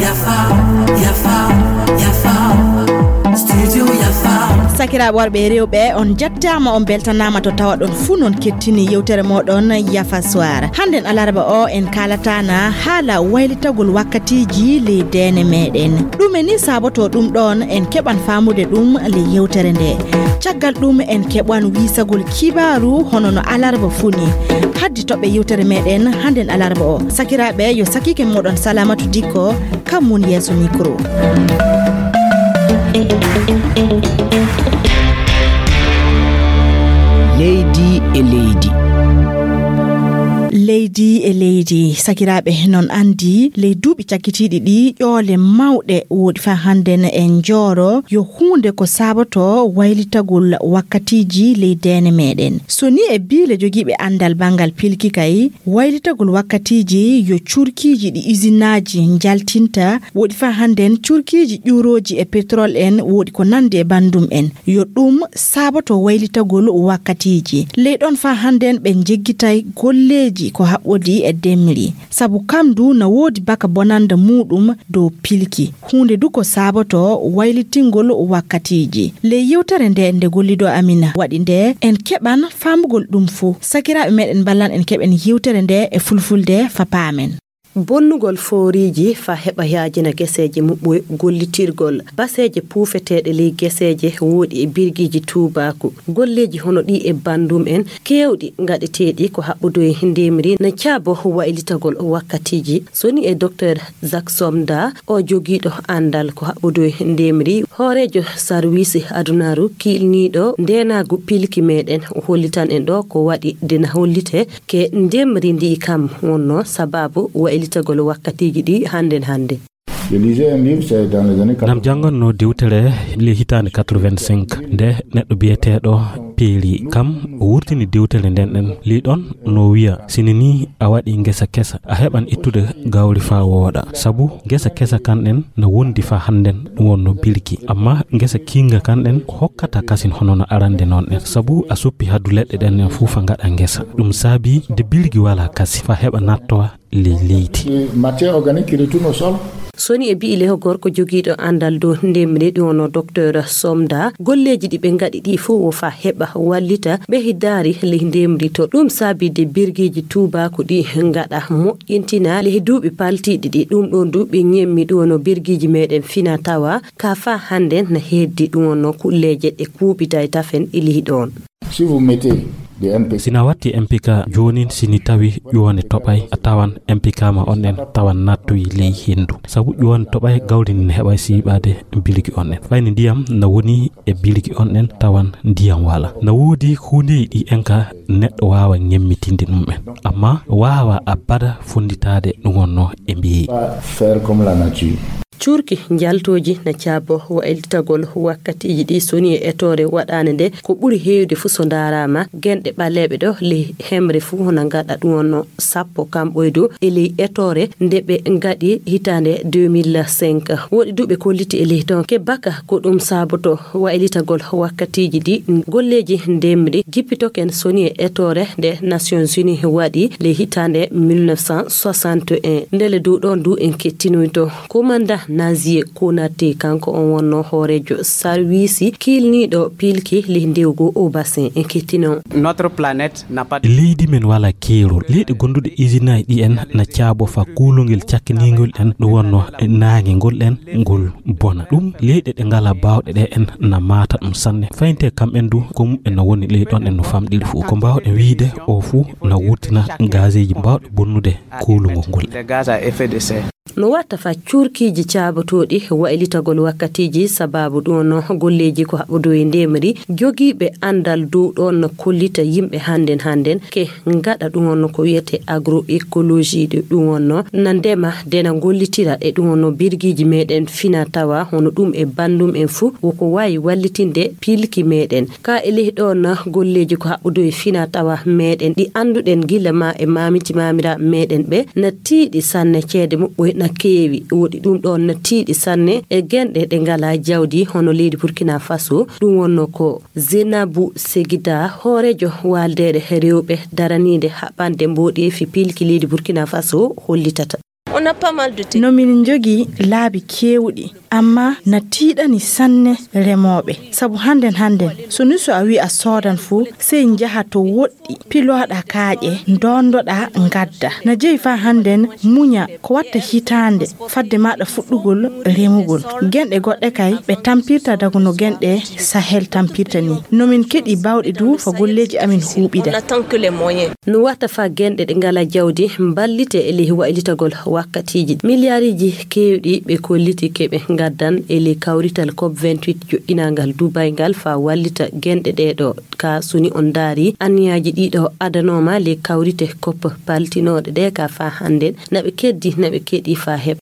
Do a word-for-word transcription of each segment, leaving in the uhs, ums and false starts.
Yafa, yafa, yafa. Studio Yafa. Sakiraaɓe worɓe e rewɓe, on jettaama, on beltanaama to tawaɗon fuu non kettini yewtere mooɗon Yafa Soir. Hannden alarba o en kaalataana haala waylitagol wakkatiiji ley deene meeɗen. Ɗume ni saabotoo ɗum ɗoon? En keɓan faamude ɗum ley yewtere nde. Caggal ɗum en keɓan wiisagol kibaaru hono no alarba fuu ni. Haddi toɓɓe yewtere meeɗen hannden alarba o. Sakiraaɓe, yo sakiike mooɗon Salamatu Dikko, kam mun yeeso mikro. Leydi e leydi. Leydi e leydi. Sakiraaɓe, non anndi, ley duuɓi cakkitiiɗi ɗi, ƴoole mawɗe woɗi faa hannden en njooro, yo huunde ko saabotoo waylitagol wakkatiiji ley deene meeɗen. So ni e biile jogiiɓe anndal banngal pilki kay, waylitagol wakkatiiji yo curkiiji ɗi isinaaji njaltinta, woɗi faa hannden curkiiji ƴuurooji e petrol en, woɗi ko nanndi e banndum en. Yo ɗum saaboto waylitagol wakkatiiji. Ley ɗon faa hannden ɓe njeggitay golleeji ko haɓɓodii e ndemri. Sabu kam du na woodi baka bonannda muuɗum dow pilki. Huunde du ko saaboto waylitingol wakkatiiji. Ley yewtere nde, nde golliiɗo amin waɗi nde, en keɓan faamugol ɗum fuu. Sakiraaɓe meeɗen mballan en keɓen yewtere nde e fulfulde faa paamen. Bonnugol fooriiji faa heɓa yaajina geseeje muɓɓoy gollitirgol. Baseeje puufeteeɗe ley geseeje woɗi e birgiiji tuubaaku. Golleeji hono ɗi e banndum en keewɗi ngaɗeteeɗi ko haɓɓodoy ndemri na caabo waylitagol wakkatiiji. So ni e Docteur Jacques Somda, o jogiiɗo anndal ko haɓɓodoy ndemri, hooreejo sarwiisi adunaaru kiilniiɗo ndeenaagu pilki meeɗen, o hollitan en ɗo ko waɗi de na hollitee ke ndemri ndi kam wonnoo sabaabu waylitagol wakkatiiji ɗi hannden hannden. Je lisais un livre, c'est dans les années Nam quatre-vingts. Jannganno dewtere le hitaande quatre-vingt-cinq, nde neɗɗo biyeteeɗo Peeli kam o wurtini dewtere nden ɗen. Ley ɗon no wiya, sini ni a waɗi ngesa kesa, a heɓan ittude gawri faa wooɗa. Sabu ngesa kesa kan ɗen na wondi faa hannden ɗum wonno bilki. Amma ngesa kiinga kan ɗen ko hokkata kasin hono no arande non ɗen. Sabu a suppi haddu leɗɗe ɗen ɗen fuu faa ngaɗa ngesa. Ɗum saabi de bilki wala kasi faa heɓa nattowa ley leydi. Matière organique qui retourne au sol. So ni e bi'i leho gorko jogiiɗo anndal dow ndemri ɗum wonno Docteur Somda, golleeji ɗi ɓe ngaɗi ɗi fof wo faa heɓa wallita ɓe hidaari ley ndemri to. Ɗum saabi de birgiiji tuubaaku ɗi ngaɗa moƴƴintina ley duuɓi paltiiɗi ɗi. Ɗum ɗon du ɓe ñemmi ɗum wonno birgiiji meeɗen fina tawa ka faa hannden na heddi ɗum wonno kulleeje ɗe kuuɓitay tafen e ley ɗon. Si vous mettez des N P K. Sina watti M P K joonin, sini tawi ƴuwande toɓay, a tawan M P K ma on ɗen tawan nattoyi ley henndu. Sabu ƴuwande toɓay gawri ndin heɓay siiɓaade bilki on ɗen. Fayni ndiyam na woni e bilki on ɗen tawan ndiyam wala. Na woodi huundeeji ɗi en ka neɗɗo waawa ñemmitinde ɗum en. Amma waawa abada fonnditaade ɗum wonno e mbeeyi. Pas faire comme la nature. Cuurki njaltooji na caabo waylitagol wakkatiiji ɗi soni e etoore waɗaande nde ko ɓuri heewde fuu so ndaaraama genɗe ɓaleeɓe ɗo ley hemre fuu hono ngaɗa ɗum wonno sappo kamɓoydo e ley etoore nde ɓe ngaɗi hitaande deux mille cinq. Woɗi duuɓe kolliti e ley ton ke baka ko ɗum saaboto waylitagol wakkatiiji ɗi golleeji ndemri jippitoken soni e etoore nde Nations Unies waɗi ley hitaande mille neuf cent soixante et un. Ndele dow ɗon du en kettinoyto Komanda Nazie Konate, kanko on wonno hooreejo sarwiisi kiilniiɗo piilki ley ndewgo o bassin. En kettino. Notre planète n'a pas de Leydi men wala keerol. Leyɗe gonduɗe isinaaji ɗi en na caabo fa kuulungel cakkiniingol en ɗum wonno e naange ngol en ngol bona. Ɗum leyɗe ɗe ngala baawɗe ɗe en na maata ɗum sanne. Fayinte kam en du ko muɓɓen no woni ley ɗon en no famɗiri fuu. Ko mbaawɗen wiide o fuu na wurtina gazeeji mbaawɗe bonnude kuulungol ngol. Des gaz à effet de serre. No watta fa cuurkiiji caabotooɗi waylitagol wakkatiiji sababu ɗum no golleeji ko haɓɓodoo e ndemri jogiiɓe anndal dow ɗon no kollita yimɓe hannden hannden ke ngaɗa ɗum wonno ko wiyetee agroecologie ɗi ɗum wonno na ndema de na ngollitira e ɗum wonno birgiiji meeɗen fina tawa hono ɗum e banndum en fuu woko waawi wallitinde piilki meeɗen. Ka e ley ɗon na golleeji ko haɓɓodoo e fina tawa meeɗen ɗi annduɗen gila ma e maamiji maamiraaɓe meeɗen ɓe na tiiɗi sanne ceede muɓɓoy keewi. Woɗi ɗum ɗoon na tiiɗi sanne e genɗe ɗe ngalaa jawdi hono leydi Burkina Faso. Ɗum wonno ko Zenabu Segida, hooreejo waaldeere rewɓe daraniinde haɓande mboɗeefi pilki leydi Burkina Faso hollitata. No min njogii laabi keewɗi, amma na tiiɗani sanne remooɓe. Sabu hannden hannden, so ni so a wii a soodan fuu, sey njaha to woɗɗi, pilooɗa kaaƴe, ndoondoɗa, ngadda. Na jeyi faa hannden muña ko watta hitaande fadde maaɗa fuɗɗugol remugol. Genɗe goɗɗe kay, ɓe tampirta dago no genɗe Sahel tampirta ni. No min keɗi baawɗe du fa golleeji amin huuɓida. No watta fa genɗe ɗe ngala jawdi mballite e ley waylitagol wakkatiiji. Miliyariiji keewɗi ɓe kolliti keɓe ngaddan e ley kawrital cop vingt-huit joɗɗinangal Dubai ngal fa wallita genɗe ɗee ɗoo. Ka suni on ndaari anniyaaji ɗii ɗoo adanooma ley kawrite cop paltinooɗe ɗee ka fa hannden, na ɓe keddi, na ɓe keɗi fa heɓa.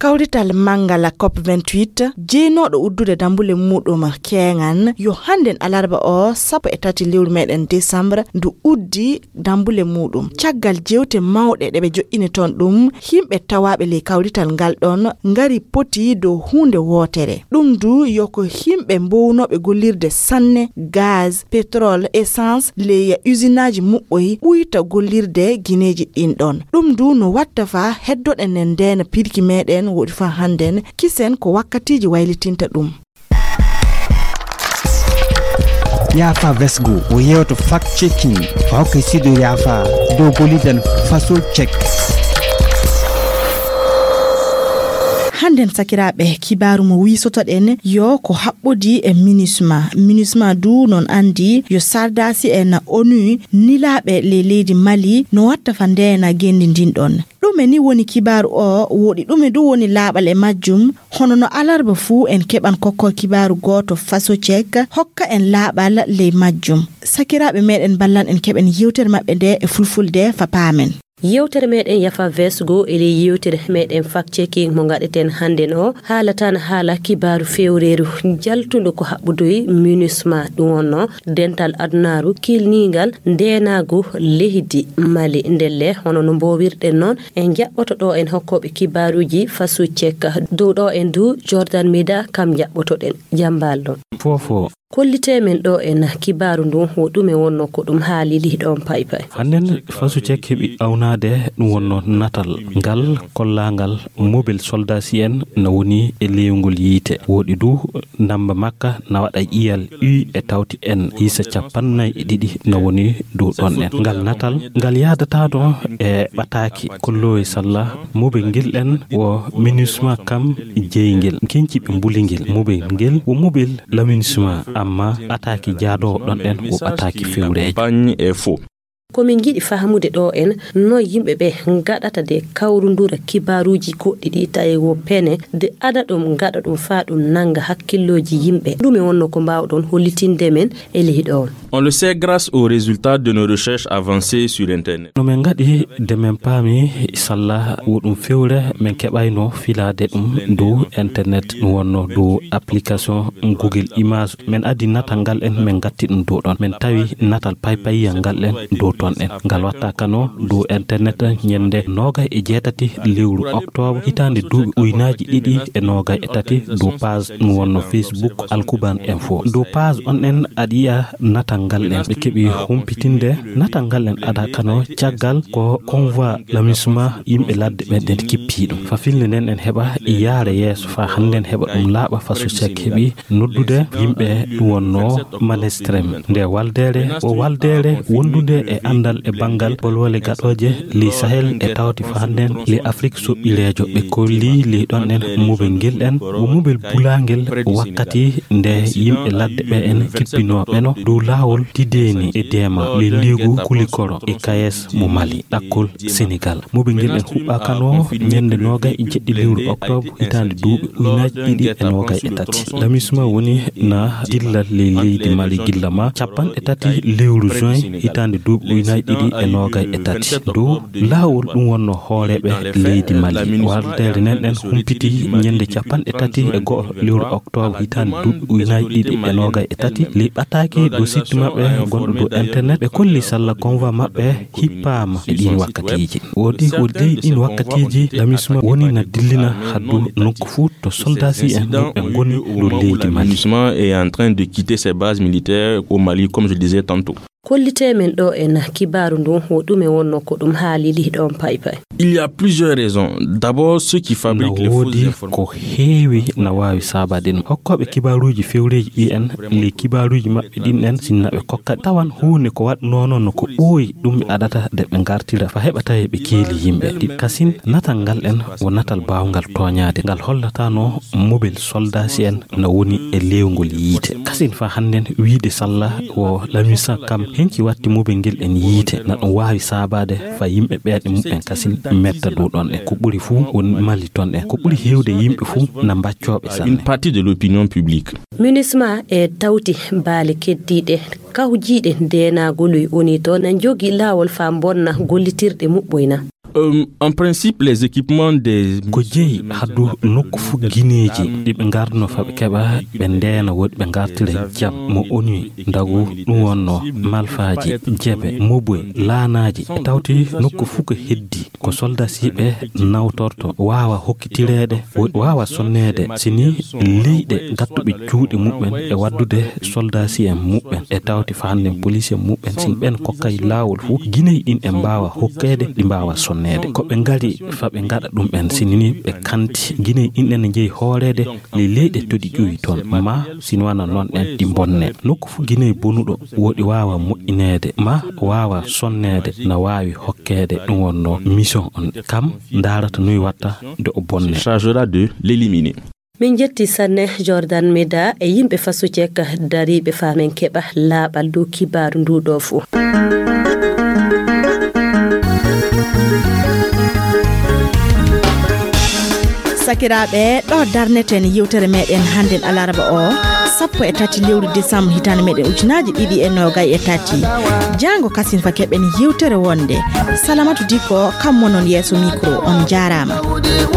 Kawrital manngal cop vingt-huit, jeynooɗo uddude dambule muɗum keeŋan, yo hannden alarba o sappo e tati lewru meɗen décembre ndu uddi dambule muɗum. Caggal jewte mawɗe ɗe ɓe joɗɗini toon ɗum, yimɓe tawaaɓe ley kawrital ngal ɗoon ngari poti dow huunde wootere. Ɗum du yo ko yimɓe mbownooɓe gollirde sanne gaz, pétrole, essence, ley usinaaji muɓɓoy ɓuyta gollirde gineeji ɗin ɗon. Ɗum du no watta fa heddoɗen en ndeena pirki meɗen woɗi fa hannden, kisen ko wakkatiiji waylitinta ɗum. Yaafa Vesgo o yewto fact checking fa hokke sido yaafa dow golidan faso check. Hannden sakiraaɓe, kibaaru mo wiisotoɗen yo ko haɓɓodi e minusma. Minusma du non anndi yo sardasi en onu nilaaɓe ley leydi Mali no watta fa ndeena genndi ndin ɗon. Ɗume ni woni kibaaru o, woɗi ɗume du woni laaɓal e majjum? Hono no alarba fuu en keɓan kokkol kibaaru gooto faso check hokka en laaɓal ley majjum. Sakiraaɓe meɗen ballan en keɓen yewtere maɓɓe nde e fulfulde fa paamen. Yewtere meɗen yafa vesgo e ley yewtere meɗen fact checking mo ngaɗeten hannden o haalatan haala kibaaru fewreeru jaltundu ko haɓɓudoy minusma ɗum wonno dental adunaaru kilningal ndeenaagu leydi Mali. Ndelle hono no mboowirɗen noon en jaɓɓoto ɗo en hokkooɓe kibaaruuji faso check dow ɗo en du Jordan Meda kam jaɓɓotoɗen jambal ɗon. Fofo. Kollitee men ɗo en kibaaru ndun wo ɗume wonno ko ɗum haalili ɗon paypay. Hannden faso check heɓi awnaade ɗum wonno natal ngal kollaangal mobel soldasi en na woni e leyngol yiite woɗi du ndamba makka na waɗa iyal u e tawti en isa capannay e ɗiɗi na woni dow ɗon en ngal natal ngal yaadataano e ɓataaki kollowe salla mobel ngel ɗen wo minusma kam jeyngel kenci ɓe mbuli ngel mobel ngel wo mobel laminusma amma ɓataaki jaadoowo ɗon ɗen wo ɓataaki fewreejo. Ko min ngiɗi fahamude ɗo en no yimɓe ɓe ngaɗata de kawrundura kibaaruuji goɗɗi ɗi tawi wo pene de ada ɗum ngaɗa ɗum faa ɗum nannga hakkillooji yimɓe ɗume wonno ko mbaawɗon hollitinde men e ley ɗo. On le sait grâce aux résultats de nos recherches avancées sur internet. No min ngaɗi de min paami salla wo ɗum fewre min keɓayno filaade ɗum dow internet ɗum wonno dow application google image min addi natal ngal en min ngatti ɗum dow ɗon min tawi natal paypayiyal ngal en dow ton en ngal watta kano dow internet ñande noogay e jeetati lewru octobre hitaande duuɓi uynaaji ɗiɗi e noogay e tati dow page ɗum wonno facebook alkuban info dow page on en aɗa yiya natal ngal en ɓe keɓi humpitinde natal ngal en ada kano caggal ko convoi lamisma yimɓe ladde ɓen ɗen kippi ɗum fa filnde nden en heɓa yaare yeeso fa hannden heɓa ɗum laaɓa fa social heɓi noddude yimɓe ɗum wonno manestrem nde waldeere o waldeere wondude e anndal e banngal bolwole gaɗooje ley sahel e tawti fa hannden ley afrik soɓɓireejo ɓe kolli ley ɗon en mobel ngel en o mobel bulangel wakkati nde yimɓe ladde ɓe en kippinooɓe no dow laawol tideeni e deema ley leegu kulikoro e kayes mo mali ɗakkol senegal mobel ngel en huɓɓakano ñande noogay e jeɗɗi lewru octobre hitaande duuɓi ujunaaji ɗiɗi e noogay e tati lamisma woni na dillal ley leydi mali gilla ma capanɗe tati lewru juin hitaande duuɓi Ujunaaji ɗiɗi e noogay e tati dow laawol ɗum wonno hooreeɓe leydi Mali. Wardere nden ɗen humpiti ñande capanɗe tati e go'o lewru oktoobre hitaande duuɓi ujunaaji ɗiɗi e noogay e tati. Ley ɓataake dow sitti maɓɓe gonɗo dow internet, ɓe kolli salla convoi maɓɓe hippaama e ɗin wakkatiiji. Woodi, woodi ley ɗin wakkatiiji, lamisma woni na dillina haddu nokku fuu to soldaasi'en mum ɓe ngoni dow leydi Mali. Est en train de quitter ses bases militaires au Mali, comme je le disais tantôt. Kollitee men ɗoo en kibaaru ndun, wo ɗume wonno ko ɗum haalili ɗon paypay? Il y a plusieurs raisons. D'abord, ceux qui fabriquent les fausses informations. Na woodi ko heewi na waawi saabaade ɗum. Hokkooɓe kibaaruuji fewreeji ɗi en, ley kibaaruuji maɓɓe ɗin en, sinna ɓe kokka tawan huunde ko waɗnoo non no ko ɓooyi, ɗum ɓe aɗata de ɓe ngartira fa heɓa tawi ɓe keeli yimɓe. Ɗi kasin natal ngal en wo natal baawngal tooñaade. Ngal hollataano mobel soldaasi'en na woni e leewngol yiite. Kasin fa hannden wiide salla wo lamisa kam henki watti mobel ngel en yiite, na ɗum waawi saabaade fa yimɓe ɓeeɗe muɓɓen kasin metta dow ɗon en. Ko ɓuri fuu woni Mali ton en. Ko ɓuri heewde yimɓe fuu na mbaccooɓe sanne. Une partie de l'opinion publique. Minusma e tawti baale keddiiɗe kawjiiɗe ndeenaagol woni to na njogi laawol fa bonna gollitirɗe muɓɓoyna. Euh, en principe, les équipements des... Ko jeyi haddu nokku fuu gineeji ɗi ɓe ngarduno fa ɓe keɓa ɓe ndeena woodi ɓe ngartira jam mo oni ndagu ɗum wonno malfaaji, jebe, moboy, laanaaji. E tawti nokku fuu ko heddi ko soldasiiɓe nawtorto waawa hokkitireede, wo-, waawa sonneede si ni leyɗe gattuɓe juuɗe muɓɓen e waddude soldasi'en muɓɓen e tawti fa hannden polisi'en muɓɓen, si ɓen kokkay laawol fuu, gineyi ɗin e mbaawa hokkeede, ɗi mbaawa sonneede. Ko ɓe ngari fa ɓe ngaɗa ɗum ɓen, si ni ɓe kanti, gineyi ɗin ɗen ne njeyi hooreede ley leyɗe to ɗi ƴuwi toon, ma si ni wana noon ɗen ɗi mbonne. Nokku fuu gineyi bonuɗo woodi waawa moƴƴineede, ma waawa sonneede, na waawi hokkeede ɗum wonno mission on. Kam ndaarata noy watta nde o bonne. Chargera de l'éliminer. Min jetti sanne Jordan Meda e yimɓe Faso Cek dariiɓe fa min keɓa laaɓal dow kibaaru ndu ɗo fuu. Sakiraaɓe, ɗo darneten yewtere meɗen hannden alaraba o, sappo e tati lewru décembre hitaande meɗen ujunaaji ɗiɗi e noogay e tati. Jaango kasin fa keɓen yewtere wonde. Salamatu Dikko, kam mo non yeeso micro, on jaaraama.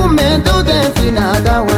Umme dow den fina dawa.